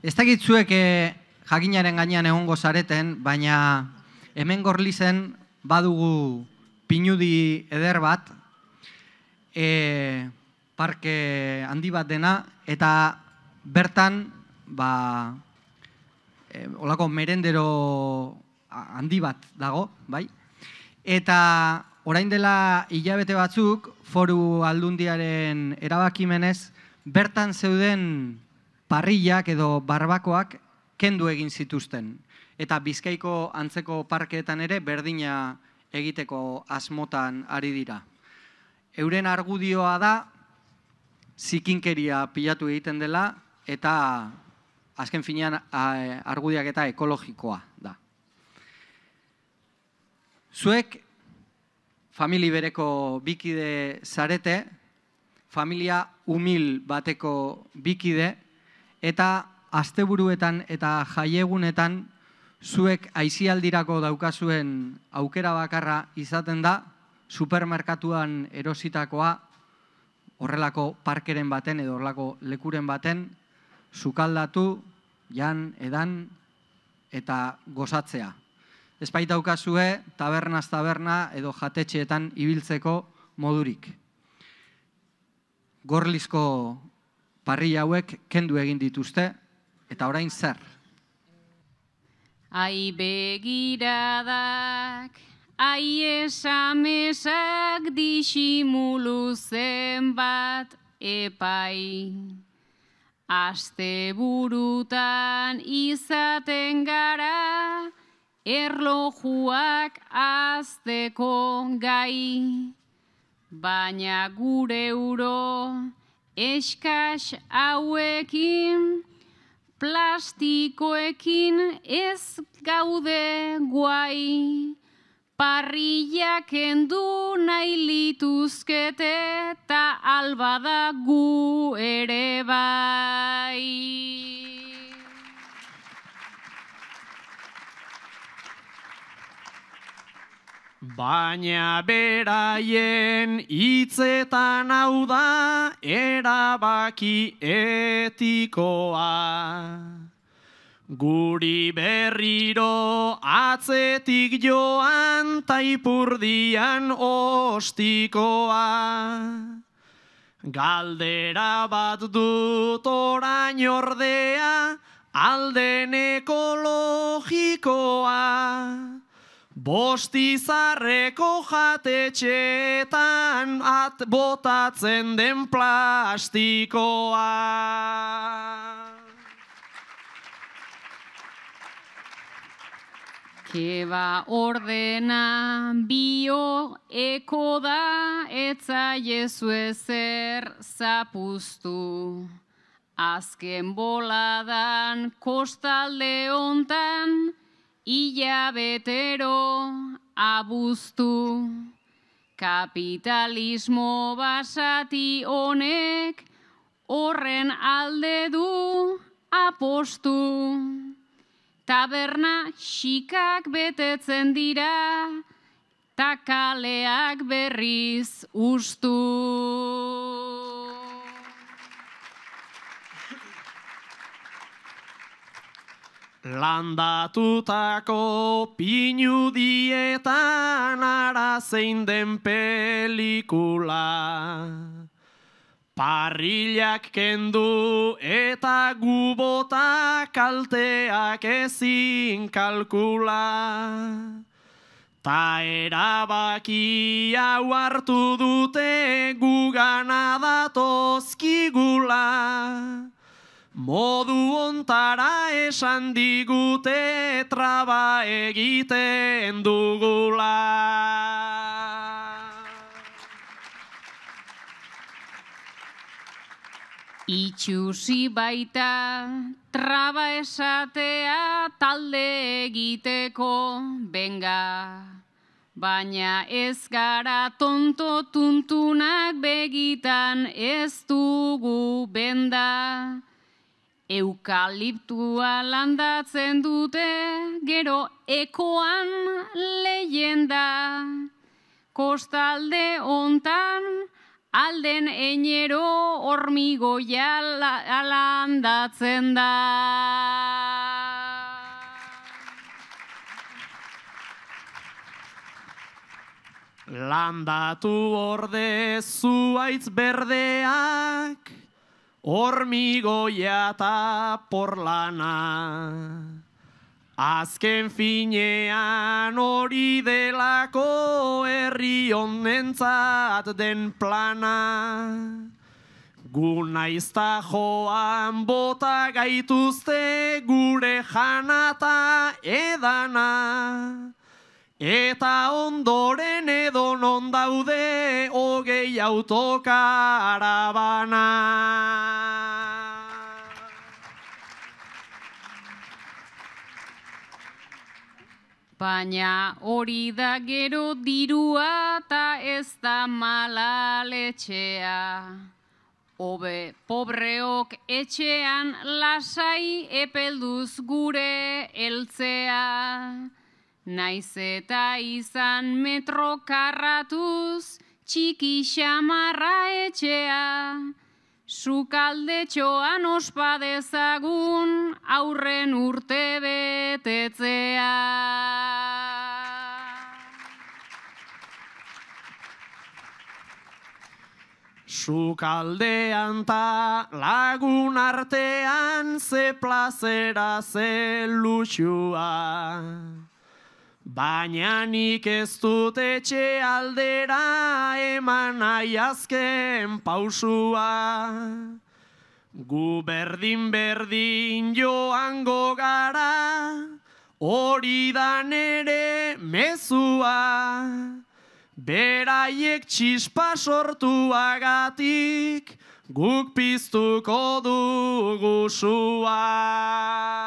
Ez dakit zuek jakinaren gainean egongo zareten, baina hemen Gorlizen badugu pinudi eder bat, parke handi bat dena, eta bertan olako merendero handi bat dago, bai? Eta orain dela hilabete batzuk, Foru Aldundiaren erabakimenez, bertan zeuden parrillak edo barbakoak kendu egin zituzten. Eta Bizkaiko antzeko parkeetan ere berdina egiteko asmotan ari dira. Euren argudioa da, zikinkeria pilatu egiten dela, eta azken finean argudiak eta ekologikoa da. Zuek, famili bereko bikide zarete, familia humil bateko bikide, eta asteburuetan eta jaiegunetan zuek aisialdirako daukazuen aukera bakarra izaten da, supermerkatuan erositakoa, horrelako parkeren baten edo horrelako lekuren baten, sukaldatu, jan, edan eta gozatzea. Ez baitaukazue tabernaz taberna edo jatetxeetan ibiltzeko modurik. Gorlizko parrilla hauek kendu egin dituzte, eta orain zer? Ai begiradak, ai esamesak disimulu zenbat epai. Asteburutan izaten gara, erlojuak azteko gai. Baina gure euro eskas hauekin, plastikoekin ez gaude guai. Parrillak kendu nahi lituzkete eta albada gu ere bai. Baina beraien hitzetan hau da erabaki etikoa. Guri berriro atzetik joan taipurdian ostikoa. Galdera bat dut orain ordea, alden ekologikoa. Bostizarreko jatetxeetan botatzen den plastikoa. Keba ordena bioeko da, etzaiezu ezer zapuztu. Azken boladan kostalde hontan, hilabetero abuztu. Kapitalismo basati honek horren alde du apostu. Taberna xikak betetzen dira, ta kaleak berriz ustu. Landatutako pinudietan ara zein den pelikula. Parrillak kendu eta gubota kalteak ezin kalkula. Ta erabaki hau hartu dute gugana datozkigula. Modu ontara esan digute traba egiten dugula. Itxusi baita traba esatea talde egiteko benga. Baina ez gara tonto tuntunak begitan ez dugu benda. Eukaliptua landatzen dute gero ekoan leyenda. Kostalde hontan alden einero hormigoia alandatzen da. Landatu orde zuaitz berdeak, hormigoia eta porlana. Azken finean hori delako herri honentzat den plana. Gu naizta joan bota gaituzte gure janata edana. Eta ondoren edonon daude 20 autokarabana. Baina hori da gero dirua ta ez da malaletxea. Hobe pobreok etxean lasai epelduz gure heltzea. Naiz eta izan metro karratuz txiki xamarra etxea. Sukaldetxoan ospa dezagun aurren urte betetzea. Sukaldean ta lagun artean ze plazera ze luxua. Baina nik ez dut etxe aldera eman nahi azken pausua. Gu berdin joango gara, hori da nere mezua. Beraiek txispa sortuagatik, guk piztuko dugu sua.